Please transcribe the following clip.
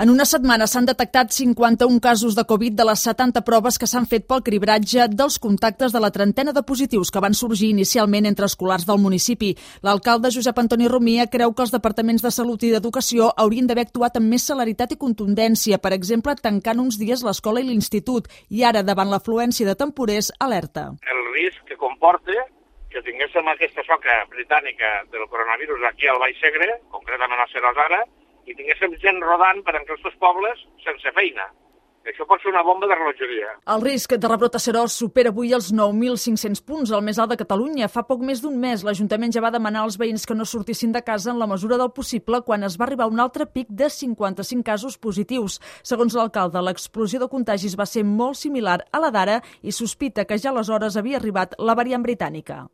En una setmana s'han detectat 51 casos de Covid de les 70 proves que s'han fet pel cribratge dels contactes de la trentena de positius que van sorgir inicialment entre escolars del municipi. L'alcalde Josep Antoni Rumia creu que els departaments de Salut i d'Educació haurien d'haver actuat amb més celeritat i contundència, per exemple, tancant uns dies l'escola i l'institut, i ara, davant l'afluència de temporers, alerta. El risc que comporta que tinguéssim aquesta soca britànica del coronavirus aquí al Baix Segre, concretament a Seròs, i tinguéssim gent rodant per entre els pobles sense feina. Això pot ser una bomba de relojeria. El risc de rebrot a Seròs supera avui els 9.500 punts, el més alt de Catalunya. Fa poc més d'un mes, l'Ajuntament ja va demanar als veïns que no sortissin de casa en la mesura del possible quan es va arribar a un altre pic de 55 casos positius. Segons l'alcalde, l'explosió de contagis va ser molt similar a la d'ara i sospita que ja aleshores havia arribat la variant britànica.